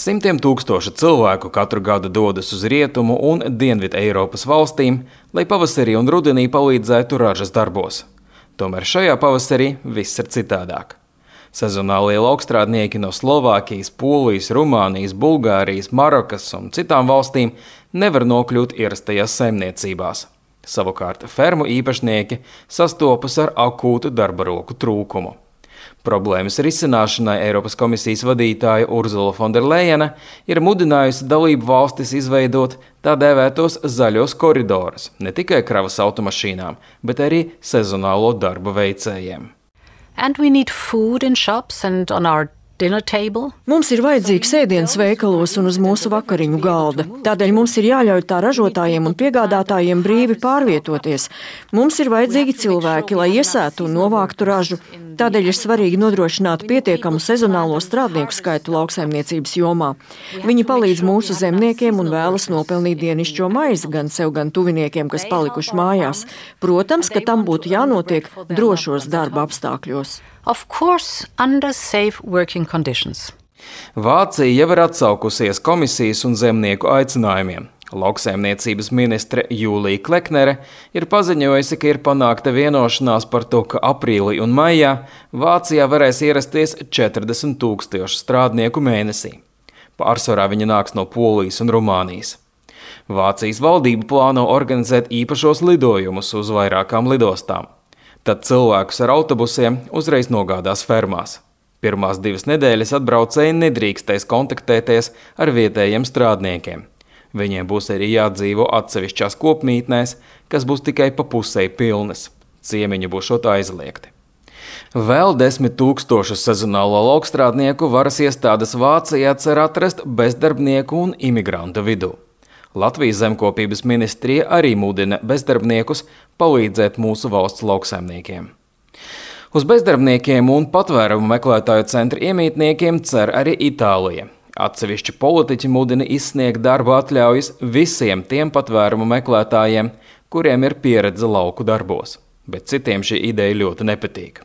Simtiem tūkstoši cilvēku katru gadu dodas uz Rietumu un Dienvidu Eiropas valstīm, lai pavasarī un rudenī palīdzētu ražas darbos. Tomēr šajā pavasarī viss ir citādāk. Sezonālie laukstrādnieki no Slovākijas, Polijas, Rumānijas, Bulgārijas, Marokas un citām valstīm nevar nokļūt ierastajās saimniecībās. Savukārt fermu īpašnieki sastopas ar akūtu darba roku trūkumu. Problēmas risināšanai Eiropas komisijas vadītāja Urzula von der Leyena ir mudinājusi dalību valstis izveidot tā dēvētos zaļos koridorus ne tikai kravas automašīnām, bet arī sezonālo darba veicējiem. And we need food in shops and on our dinner table. Mums ir vajadzīgs ēdiens veikalos un uz mūsu vakariņu galda. Tādēļ mums ir jāļauj tā ražotājiem un piegādātājiem brīvi pārvietoties. Mums ir vajadzīgi cilvēki, lai iesētu un novāktu ražu. Tādēļ ir svarīgi nodrošināt pietiekamu sezonālo strādnieku skaitu lauksaimniecības jomā. Viņi palīdz mūsu zemniekiem un vēlas nopelnīt dienišķo maizi gan sev, gan tuviniekiem, kas palikuši mājās. Protams, ka tam būtu jānotiek drošos darba apstākļos. Of course, under safe working conditions. Vācija jau ir atsaukusies komisijas un zemnieku aicinājumiem. Lauksaimniecības ministre Jūlija Kleknere ir paziņojusi, ka ir panākta vienošanās par to, ka aprīlī un maijā Vācijā varēs ierasties 40 000 strādnieku mēnesī. Pārsvarā viņi nāks no Polijas un Rumānijas. Vācijas valdība plāno organizēt īpašos lidojumus uz vairākām lidostām. Tad cilvēkus ar autobusiem uzreiz nogādās fermās. Pirmās 2 nedēļas atbraucēji nedrīkstēs kontaktēties ar vietējiem strādniekiem. Viņiem būs arī jādzīvo atsevišķās kopmītnēs, kas būs tikai pa pusei pilnas. Ciemiņi būšot aizliegti. Vēl 10 000 sezonālo laukstrādnieku varas iestādes Vācijā cer atrast bezdarbnieku un imigrantu vidū. Latvijas zemkopības ministrija arī mudina bezdarbniekus palīdzēt mūsu valsts lauksaimniekiem. Uz bezdarbniekiem un patvērumu meklētāju centra iemītniekiem cer arī Itālija. Atsevišķi politiķi mudina izsniegt darba atļaujas visiem tiem patvērumu meklētājiem, kuriem ir pieredze lauku darbos, bet citiem šī ideja ļoti nepatīk.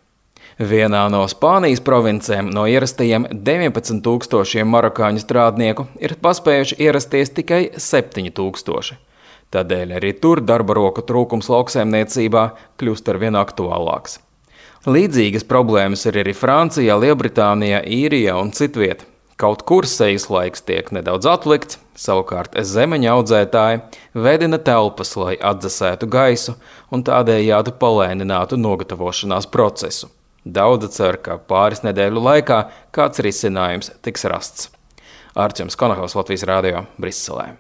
Vienā no Spānijas provincēm no ierastajiem 19 000 marokāņu strādnieku ir paspējuši ierasties tikai 7 000. Tādēļ arī tur darba roku trūkums lauksaimniecībā kļūst arvien aktuālāks. Līdzīgas problēmas ir arī Francijā, Lielbritānijā, Īrijā un citviet. Kaut kur sejas laiks tiek nedaudz atlikts, savukārt zemeņa audzētāji veidina telpas, lai atdzesētu gaisu un tādējādi palēninātu nogatavošanās procesu. Daudzi cer, ka pāris nedēļu laikā kāds risinājums tiks rasts. Arčuns Konahaus, Latvijas radio, Briselē.